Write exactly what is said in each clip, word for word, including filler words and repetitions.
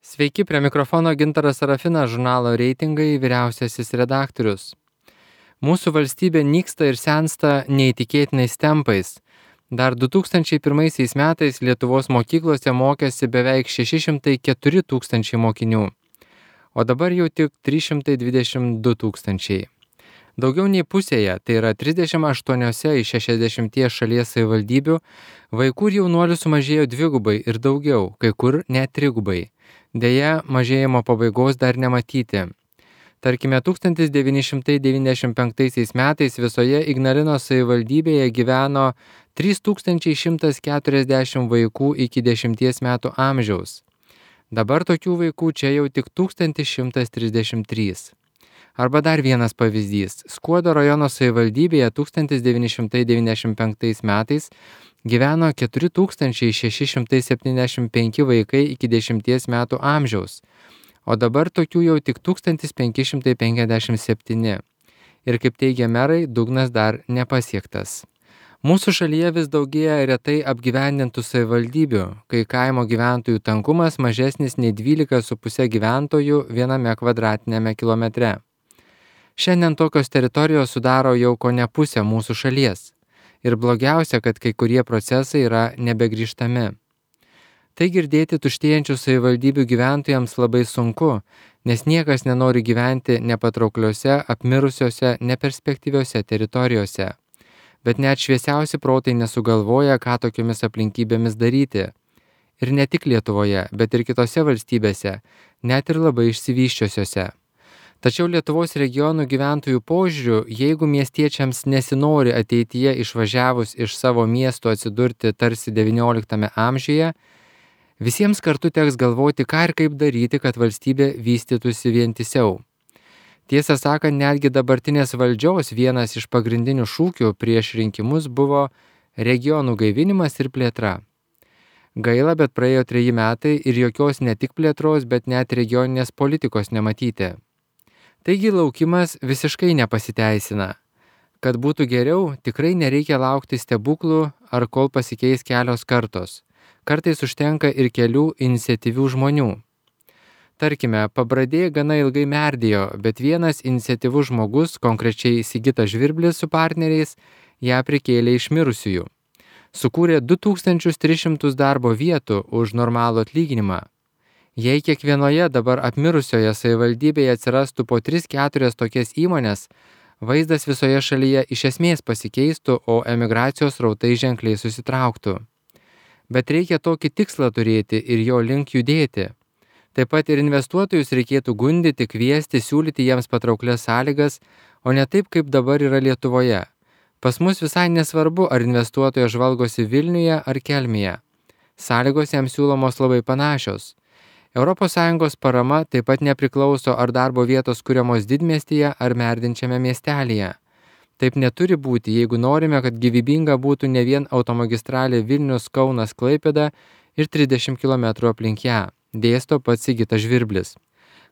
Sveiki, prie mikrofono Gintaras Sarafinas, žurnalo Reitingai vyriausiasis redaktorius. Mūsų valstybė nyksta ir sensta neįtikėtinais tempais. Dar du tūkstančiai pirmaisiais metais Lietuvos mokyklose mokėsi beveik šeši šimtai keturi tūkstančiai mokinių, o dabar jau tik trys šimtai dvidešimt du tūkstančiai. Daugiau nei pusėje, tai yra trisdešimt aštuoniose iš šešiasdešimties šalies savivaldybių, vaikų ir jaunuolių sumažėjo dvigubai ir daugiau, kai kur net trigubai. Deja, mažėjimo pabaigos dar nematyti. Tarkime, tūkstantis devyni šimtai devyniasdešimt penktaisiais metais visoje Ignalinos savivaldybėje gyveno trys tūkstančiai šimtas keturiasdešimt vaikų iki dešimties metų amžiaus. Dabar tokių vaikų čia jau tik tūkstantis šimtas trisdešimt trys. Arba dar vienas pavyzdys. Skuodo rajono savivaldybėje tūkstantis devyni šimtai devyniasdešimt penktais metais gyveno keturi tūkstančiai šeši šimtai septyniasdešimt penki vaikai iki dešimties metų amžiaus, o dabar tokių jau tik tūkstantis penki šimtai penkiasdešimt septyni. Ir kaip teigia merai, dugnas dar nepasiektas. Mūsų šalyje vis daugėja retai apgyvendintų savivaldybių, kai kaimo gyventojų tankumas mažesnis nei dvylika su puse gyventojų viename kvadratiniame kilometre. Šiandien tokios teritorijos sudaro jau kone pusę mūsų šalies. Ir blogiausia, kad kai kurie procesai yra nebegrįžtami. Tai girdėti tuštėjančių savivaldybių gyventojams labai sunku, nes niekas nenori gyventi nepatraukliose, apmirusiose, neperspektyviose teritorijose. Bet net šviesiausi protai nesugalvoja, ką tokiomis aplinkybėmis daryti. Ir ne tik Lietuvoje, bet ir kitose valstybėse, net ir labai išsivysčiusiose. Tačiau Lietuvos regionų gyventojų požiūriu, jeigu miestiečiams nesinori ateityje išvažiavus iš savo miesto atsidurti tarsi devynioliktame amžiuje, visiems kartu teks galvoti, ką ir kaip daryti, kad valstybė vystytųsi vientisiau. Tiesą sakant, netgi dabartinės valdžios vienas iš pagrindinių šūkių prieš rinkimus buvo regionų gaivinimas ir plėtra. Gaila, bet praėjo treji metai ir jokios ne tik plėtros, bet net regioninės politikos nematyti. Taigi laukimas visiškai nepasiteisina. Kad būtų geriau, tikrai nereikia laukti stebuklų ar kol pasikeis kelios kartos. Kartais užtenka ir kelių iniciatyvių žmonių. Tarkime, Pabradė gana ilgai merdėjo, bet vienas iniciatyvus žmogus, konkrečiai Sigitas Žvirblis su partneriais, ją prikėlė iš mirusiųjų. Sukūrė du tūkstančius tris šimtus darbo vietų už normalų atlyginimą. Jei kiekvienoje dabar apmirusioje savivaldybėje atsirastų po tris keturias tokias įmonės, vaizdas visoje šalyje iš esmės pasikeistų, o emigracijos rautai ženkliai susitrauktų. Bet reikia tokį tikslą turėti ir jo link judėti. Taip pat ir investuotojus reikėtų gundyti, kviesti, siūlyti jiems patrauklias sąlygas, o ne taip, kaip dabar yra Lietuvoje. Pas mus visai nesvarbu, ar investuotojas žvalgosi Vilniuje ar Kelmėje. Sąlygos jam siūlomos labai panašios. Europos Sąjungos parama taip pat nepriklauso, ar darbo vietos kuriamos didmiestyje ar merdinčiame miestelyje. Taip neturi būti, jeigu norime, kad gyvybinga būtų ne vien automagistralė Vilnius, Kaunas, Klaipėda ir trisdešimt kilometrų aplink ją, dėsto pats Sigitas Žvirblis.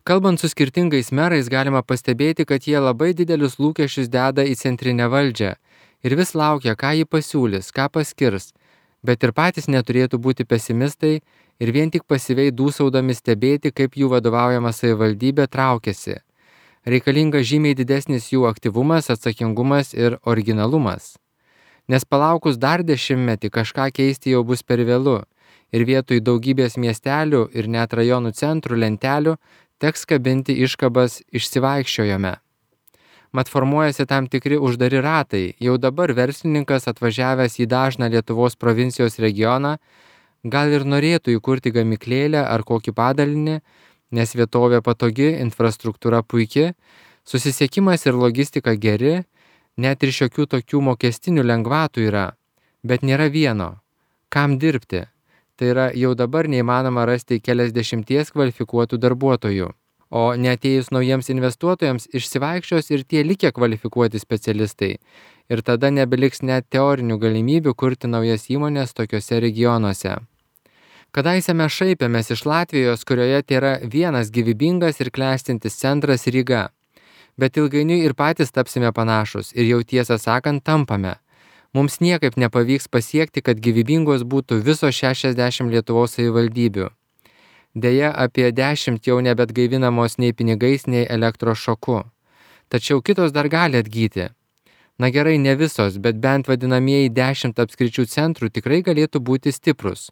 Kalbant su skirtingais merais, galima pastebėti, kad jie labai didelius lūkesčius deda į centrinę valdžią ir vis laukia, ką ji pasiūlys, ką paskirs, bet ir patys neturėtų būti pesimistai ir vien tik pasyviai dūsaudami stebėti, kaip jų vadovaujama savivaldybė traukiasi. Reikalinga žymiai didesnis jų aktyvumas, atsakingumas ir originalumas. Nes palaukus dar dešimtmetį kažką keisti jau bus per vėlu ir vietoj daugybės miestelių ir net rajonų centrų lentelių teks kabinti iškabas išsivaikščiojome. Mat formuojasi tam tikri uždari ratai. Jau dabar verslininkas atvažiavęs į dažną Lietuvos provincijos regioną gal ir norėtų įkurti gamyklėlę ar kokį padalinį, nes vietovė patogi, infrastruktūra puiki, susisiekimas ir logistika geri, net ir šiokių tokių mokestinių lengvatų yra, bet nėra vieno. Kam dirbti? Tai yra jau dabar neįmanoma rasti keliasdešimties kvalifikuotų darbuotojų. O neatėjus naujiems investuotojams išsivaikščios ir tie likę kvalifikuoti specialistai. Ir tada nebeliks net teorinių galimybių kurti naujas įmonės tokiuose regionuose. Kadaise mes šaipėmės iš Latvijos, kurioje tėra vienas gyvybingas ir klestintis centras Ryga. Bet ilgainiui ir patys tapsime panašus ir jau tiesą sakant tampame. Mums niekaip nepavyks pasiekti, kad gyvybingos būtų visos šešiasdešimt Lietuvos savivaldybių. Deja, apie dešimt jau nebetgaivinamos nei pinigais, nei elektros šoku. Tačiau kitos dar gali atgyti. Na gerai, ne visos, bet bent vadinamieji dešimt apskričių centrų tikrai galėtų būti stiprus.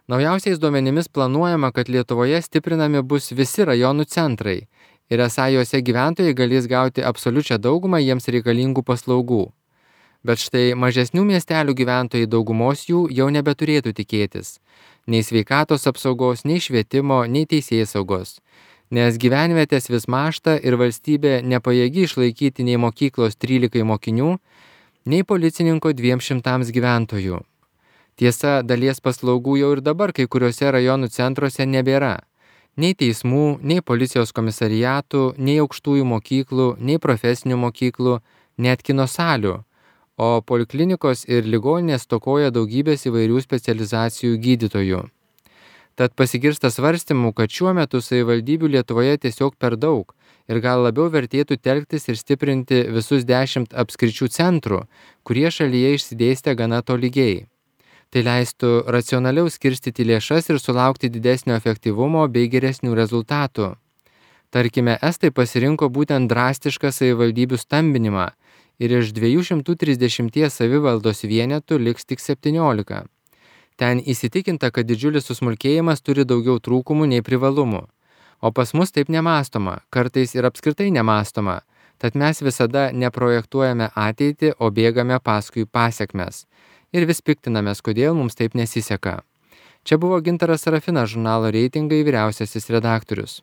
Naujausiais duomenimis planuojama, kad Lietuvoje stiprinami bus visi rajonų centrai ir esą juose gyventojai galės gauti absoliučią daugumą jiems reikalingų paslaugų. Bet štai mažesnių miestelių gyventojai daugumos jų jau nebeturėtų tikėtis. Nei sveikatos apsaugos, nei švietimo, nei teisėsaugos. Nes gyvenvietės vis mažta ir valstybė nepajėgi išlaikyti nei mokyklos trylikai mokinių, nei policininko dviem šimtams gyventojų. Tiesa, dalies paslaugų jau ir dabar kai kuriuose rajonų centruose nebėra. Nei teismų, nei policijos komisariatų, nei aukštųjų mokyklų, nei profesinių mokyklų, net kino salių, o poliklinikos ir ligoninės stokoja daugybės įvairių specializacijų gydytojų. Tad pasigirsta svarstymų, kad šiuo metu savivaldybių Lietuvoje tiesiog per daug ir gal labiau vertėtų telktis ir stiprinti visus dešimt apskričių centrų, kurie šalyje išsidėstę gana tolygiai. Tai leistų racionaliau skirstyti lėšas ir sulaukti didesnio efektyvumo bei geresnių rezultatų. Tarkime, estai pasirinko būtent drastišką savivaldybių stambinimą ir iš dviejų šimtų trisdešimties savivaldos vienetų liks tik septyniolika. Ten įsitikinta, kad didžiulis susmulkėjimas turi daugiau trūkumų nei privalumų. O pas mus taip nemąstoma, kartais ir apskritai nemąstoma, tad mes visada neprojektuojame ateitį, o bėgame paskui pasekmes. Ir vis piktinamės, kodėl mums taip nesiseka. Čia buvo Gintaras Sarafinas, žurnalo Reitingai vyriausiasis redaktorius.